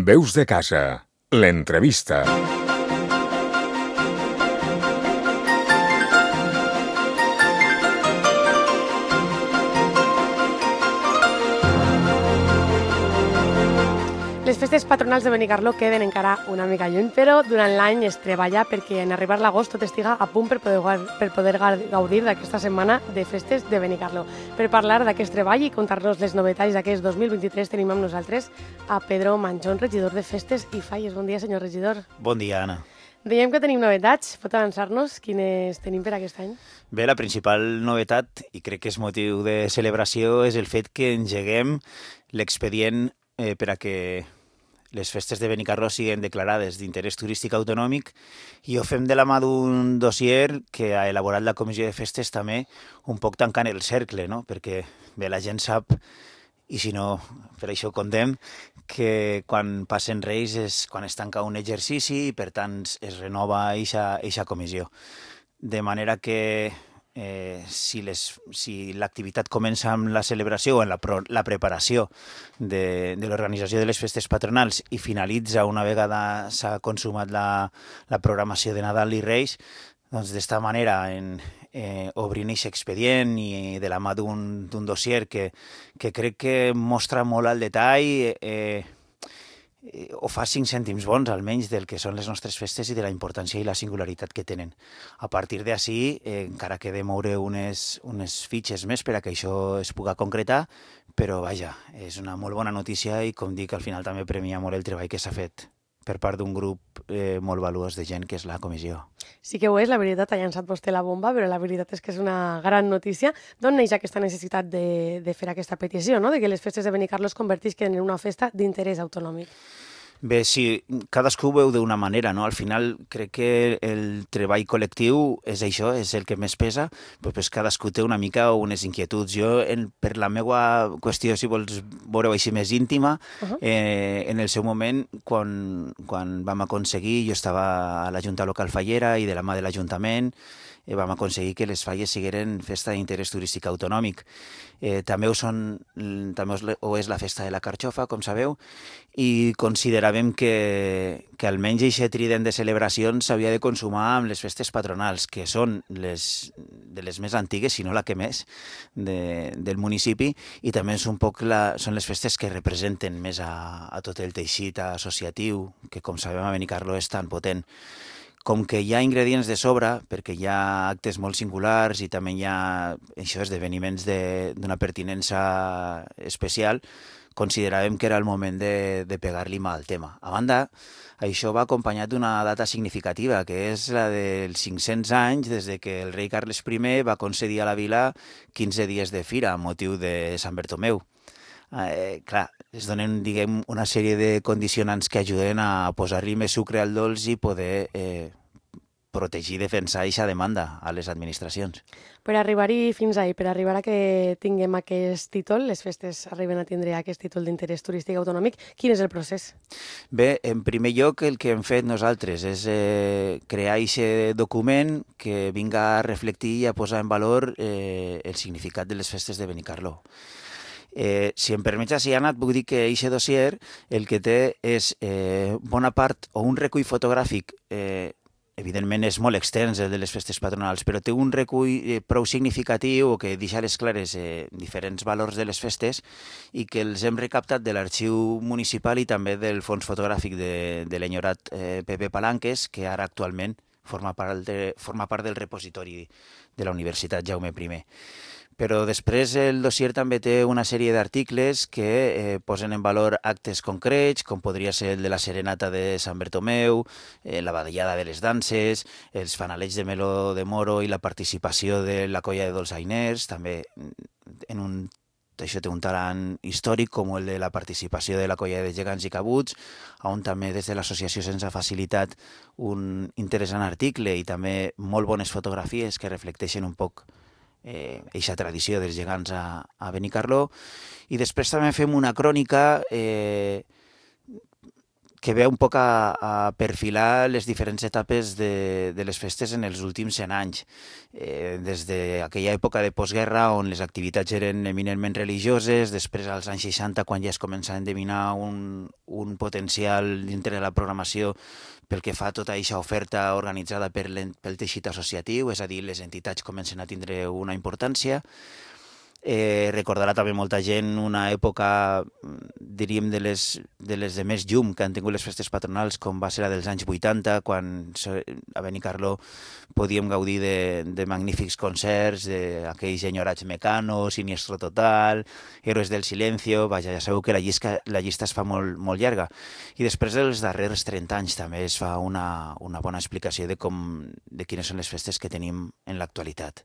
Veus de casa, l'entrevista. Les festes patronals de Benicarló queden encara una mica lluny, però durant l'any es treballa perquè en arribar l'agost tot estiga a punt per poder gaudir d'aquesta setmana de festes de Benicarló. Per parlar d'aquest treball i contar-nos les novetats d'aquest 2023 tenim amb nosaltres a Pedro Manchón, regidor de Festes i Falles. Bon dia, senyor regidor. Bon dia, Anna. Dèiem que tenim novetats. Pot avançar-nos quines tenim per aquest any? Bé, la principal novetat, i crec que és motiu de celebració, és el fet que engeguem l'expedient per a que les festes de Benicarló siguin declarades d'interès turístic autonòmic, i ho fem de la mà d'un dossier que ha elaborat la Comissió de Festes també, un poc tancant el cercle, no? Perquè bé, la gent sap, i si no, per això contem, que quan passen Reis és quan es tanca un exercici i per tant es renova eixa comissió. De manera que si l'activitat comença amb la celebració o en la preparació de l'organització de les festes patronals i finalitza una vegada s'ha consumat la programació de Nadal i Reis, doncs d'esta manera, obrint aquest expedient i de la mà d'un dossier que crec que mostra molt al detall, o fa 5 cèntims bons, almenys, del que són les nostres festes i de la importància i la singularitat que tenen. A partir d'ací, encara queda moure unes fitxes més per a que això es pugui concretar, però vaja, és una molt bona notícia i, com dic, al final també premia molt el treball que s'ha fet per part d'un grup molt valuós de gent, que és la comissió. Sí que ho és, la veritat, ha llançat vostè la bomba, però la veritat és que és una gran notícia. D'on neix aquesta necessitat de fer aquesta petició, no? De que les festes de Benicarló es convertisquen en una festa d'interès autonòmic? Bé, sí, cadascú ho veu d'una manera, no? Al final crec que el treball col·lectiu és això, és el que més pesa, però pues cadascú té una mica unes inquietuds. Jo, per la meva qüestió, si vols veure-ho així més íntima, en el seu moment, quan vam aconseguir, jo estava a la Junta Local Fallera i de la mà de l'Ajuntament, vam aconseguir que les falles sigueren festa d'interès turístic autonòmic. També ho és la festa de la Carxofa, com sabeu, i consideràvem que almenys aquest trident de celebracions s'havia de consumar amb les festes patronals, que són de les més antigues, si no la que més, del municipi, i també són les festes que representen més a tot el teixit associatiu, que, com sabem, a Benicarló és tan potent. Com que hi ha ingredients de sobre, perquè hi ha actes molt singulars i també hi ha esdeveniments d'una pertinença especial, consideràvem que era el moment de pegar-li mà al tema. A banda, això va acompanyat d'una data significativa, que és la dels 500 anys des que el rei Carles I va concedir a la vila 15 dies de fira a motiu de Sant Bartomeu. Clar, es donen, diguem, una sèrie de condicionants que ajuden a posar-li més sucre al dolç i poder protegir i defensar aquesta demanda a les administracions. Per arribar-hi fins ahir, per arribar a que tinguem aquest títol, les festes arriben a tindre aquest títol d'interès turístic autonòmic, quin és el procés? Bé, en primer lloc, el que hem fet nosaltres és crear aquest document que vinga a reflectir i a posar en valor el significat de les festes de Benicarló. Si em permets, Anna, et puc dir que aquest dossier el que té és bona part, o un recull fotogràfic, evidentment és molt extens el de les festes patronals, però té un recull prou significatiu que deixa a les clares diferents valors de les festes i que els hem recaptat de l'arxiu municipal i també del fons fotogràfic de l'enyorat Pepe Palanques, que ara actualment forma part del repositori de la Universitat Jaume I. Però després el dossier també té una sèrie d'articles que posen en valor actes concrets, com podria ser el de la Serenata de Sant Bartomeu, la Badallada de les Danses, els fanalets de Meló de Moro i la participació de la colla de dolçainers, també això té un talant històric, com el de la participació de la colla de gegants i cabuts, on també des de l'associació se'ns ha facilitat un interessant article i també molt bones fotografies que reflecteixen un poc eixa tradició dels gegants a Benicarló. I després també fem una crònica que ve un poc a perfilar les diferents etapes de les festes en els últims 100 anys. Des d'aquella època de postguerra on les activitats eren eminentment religioses, després als anys 60 quan ja es comença a endevinar un potencial dintre de la programació pel que fa a tota aquesta oferta organitzada pel teixit associatiu, és a dir, les entitats comencen a tindre una importància. Recordarà també molta gent una època, diríem, de les de més llum que han tingut les festes patronals, com va ser la dels anys 80, quan a Benicarló podíem gaudir de magnífics concerts, d'aquells enyorats Mecano, Siniestro Total, Héroes del Silencio. Vaja, ja sabeu que la llista es fa molt, molt llarga. I després dels darrers 30 anys també es fa una bona explicació de quines són les festes que tenim en l'actualitat.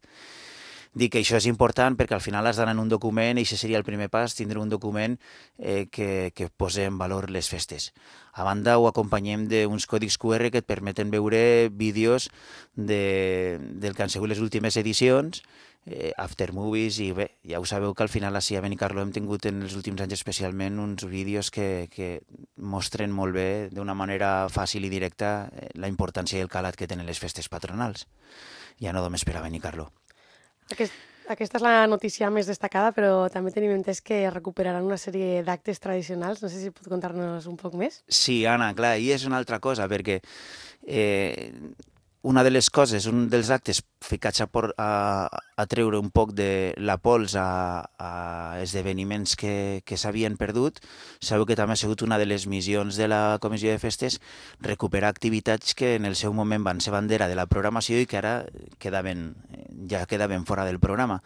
Dic que això és important perquè al final has d'anar en un document i això seria el primer pas, tindre un document que posi en valor les festes. A banda ho acompanyem d'uns còdics QR que et permeten veure vídeos del que han sigut les últimes edicions, after movies, i bé, ja ho sabeu que al final així a Benicarló hem tingut en els últims anys especialment uns vídeos que mostren molt bé, d'una manera fàcil i directa, la importància i el calat que tenen les festes patronals. Ja no només per a Benicarló. Aquesta és la notícia més destacada, però també tenim entès que recuperaran una sèrie d'actes tradicionals. No sé si pot contar-nos un poc més. Sí, Anna, clar, i és una altra cosa, perquè una de les coses, un dels actes ficats a treure un poc de la pols a esdeveniments que s'havien perdut. Sabeu que també ha sigut una de les missions de la Comissió de Festes recuperar activitats que en el seu moment van ser bandera de la programació i que ara ja quedaven fora del programa.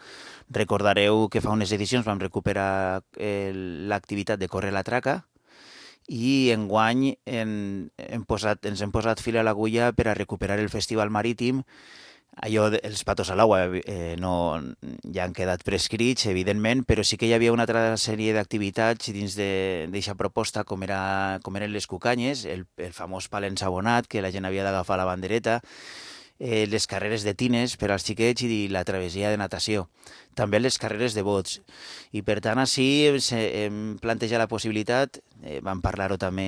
Recordareu que fa unes edicions vam recuperar l'activitat de Corre la Traca, i enguany ens hem posat fil a l'agulla per a recuperar el Festival Marítim. Allò dels patos a l'aigua ja han quedat prescrits, evidentment, però sí que hi havia una altra sèrie d'activitats dins d'aquesta proposta, com eren les cucanyes, el famós pal ensabonat, que la gent havia d'agafar la bandereta, les carreres de tines per als xiquets i la travessia de natació. També les carreres de bots. I per tant, així hem plantejat la possibilitat, vam parlar-ho també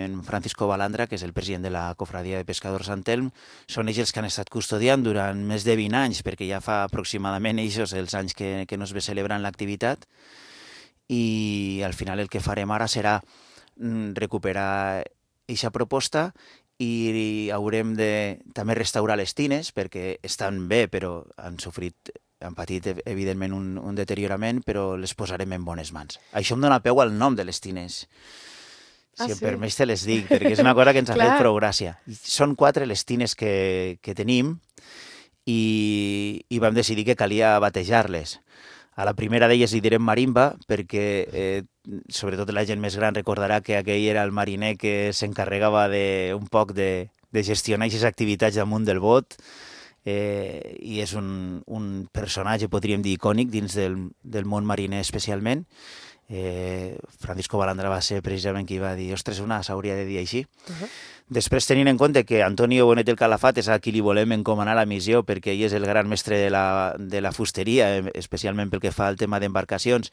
amb Francisco Balandra, que és el president de la Cofradia de Pescadors Sant Elm. Són ells els que han estat custodiant durant més de 20 anys, perquè ja fa aproximadament ells els anys que no es ve celebrant l'activitat. I al final el que farem ara serà recuperar aquesta proposta i haurem de també restaurar les tines, perquè estan bé, però han patit evidentment un deteriorament, però les posarem en bones mans. Això em dona peu al nom de les tines. Si em permets te les dic, perquè és una cosa que ens ha fet prou gràcia. Són 4 les tines que tenim i vam decidir que calia batejar-les. A la primera d'elles li direm marimba, perquè sobretot la gent més gran recordarà que aquell era el mariner que s'encarregava un poc de gestionar aquestes activitats damunt del bot, i és un personatge, podríem dir, icònic dins del món mariner especialment. Francisco Balandra va ser precisament qui va dir ostres, s'hauria de dir així. Després, tenint en compte que Antonio Bonet el Calafat és a qui li volem encomanar la missió, perquè ell és el gran mestre de la fusteria, especialment pel que fa al tema d'embarcacions,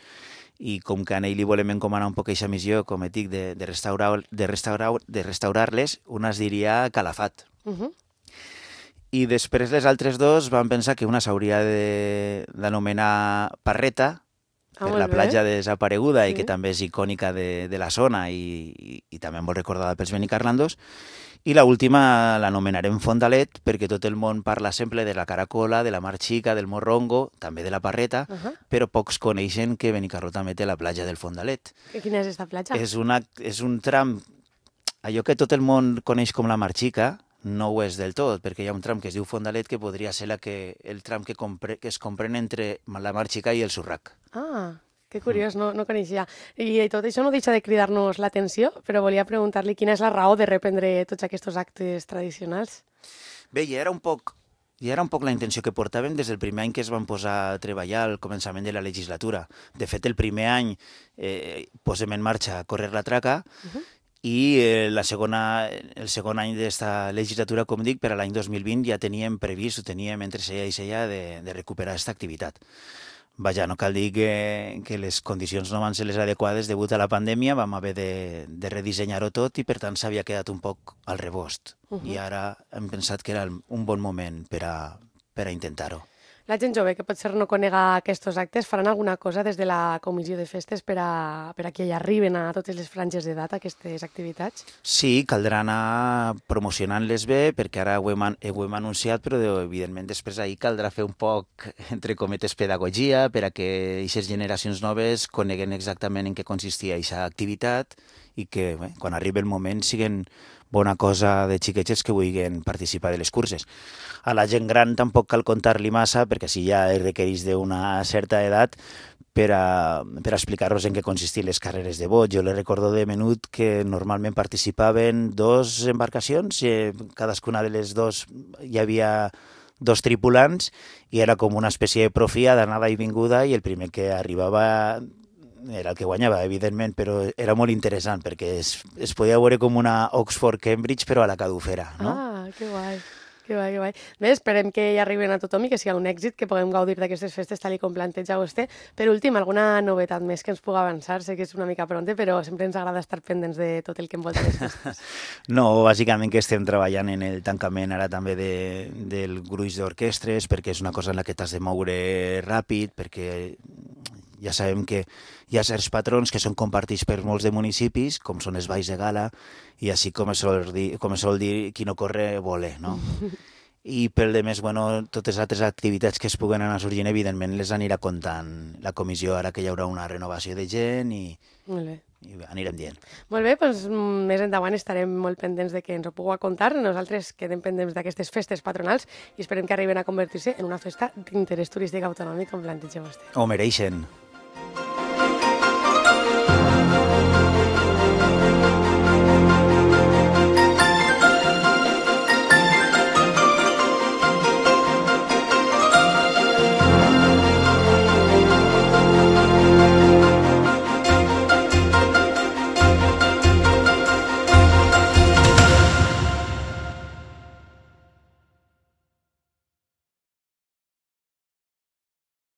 i com que a ell li volem encomanar un poc aquesta missió, com et dic, de restaurar-les, una es diria Calafat. I després les altres dos van pensar que una s'hauria d'anomenar Parreta, per la platja desapareguda, i que també és icònica de la zona i també molt recordada pels benicarlandos. I l'última l'anomenarem Fondalet, perquè tot el món parla sempre de la Caracola, de la Mar Xica, del Morrongo, també de la Parreta, però pocs coneixen que Benicarló també té la platja del Fondalet. Quina és aquesta platja? És un tram, allò que tot el món coneix com la Mar Xica, no ho és del tot, perquè hi ha un tram que es diu Fondalet que podria ser el tram que es comprèn entre la Mar Xica i el Surrac. Ah, que curiós, no coneixia. I tot això no deixa de cridar-nos l'atenció, però volia preguntar-li quina és la raó de reprendre tots aquests actes tradicionals. Bé, ja era un poc la intenció que portàvem des del primer any que es van posar a treballar al començament de la legislatura. De fet, el primer any posem en marxa Correr la Traca, i el segon any d'esta legislatura, com dic, per a l'any 2020 ja teníem previst, ho teníem entre cella i cella, de recuperar aquesta activitat. Vaja, no cal dir que les condicions no van ser les adequades degut a la pandèmia, vam haver de redissenyar-ho tot i per tant s'havia quedat un poc al rebost. I ara hem pensat que era un bon moment per a intentar-ho. La gent jove que potser no conega aquests actes faran alguna cosa des de la comissió de festes per a que hi arriben a totes les franges d'edat aquestes activitats? Sí, caldrà anar promocionant-les bé, perquè ara ho hem anunciat, però evidentment després ahir caldrà fer un poc, entre cometes, pedagogia per a que aquestes generacions noves coneguen exactament en què consistia aquesta activitat i que quan arribi el moment siguen bona cosa de xiquets que vulguin participar de les curses. A la gent gran tampoc cal contar-li massa, perquè si ja requereix d'una certa edat, per a explicar-los en què consistien les carreres de bots. Jo les recordo de menut que normalment participaven 2 embarcacions, cadascuna de les 2 hi havia 2 tripulants i era com una espècie de profia d'anada i vinguda i el primer que arribava era el que guanyava, evidentment, però era molt interessant perquè es podia veure com una Oxford-Cambridge però a la cadufera, no? Ah, que guai. Que guai, que guai. Bé, esperem que hi arriben a tothom i que sigui un èxit, que puguem gaudir d'aquestes festes tal com planteja vostè. Per últim, alguna novetat més que ens pugui avançar? Sé que és una mica pronte, però sempre ens agrada estar pendents de tot el que envolta les festes. No, bàsicament que estem treballant en el tancament ara també del gruix d'orquestres, perquè és una cosa en la que t'has de moure ràpid, perquè ja sabem que hi ha certs patrons que són compartits per molts de municipis, com són els balls de gala, i així com es sol dir qui no corre voler, no? I pel de més, totes les altres activitats que es puguen anar sorgint, evidentment, les anirà comptant la comissió ara que hi haurà una renovació de gent i anirem dient. Molt bé, doncs més endavant estarem molt pendents de que ens ho pugueu contar. Nosaltres quedem pendents d'aquestes festes patronals i esperem que arriben a convertir-se en una festa d'interès turístic autonòmic, com planteja vostè. Ho mereixen.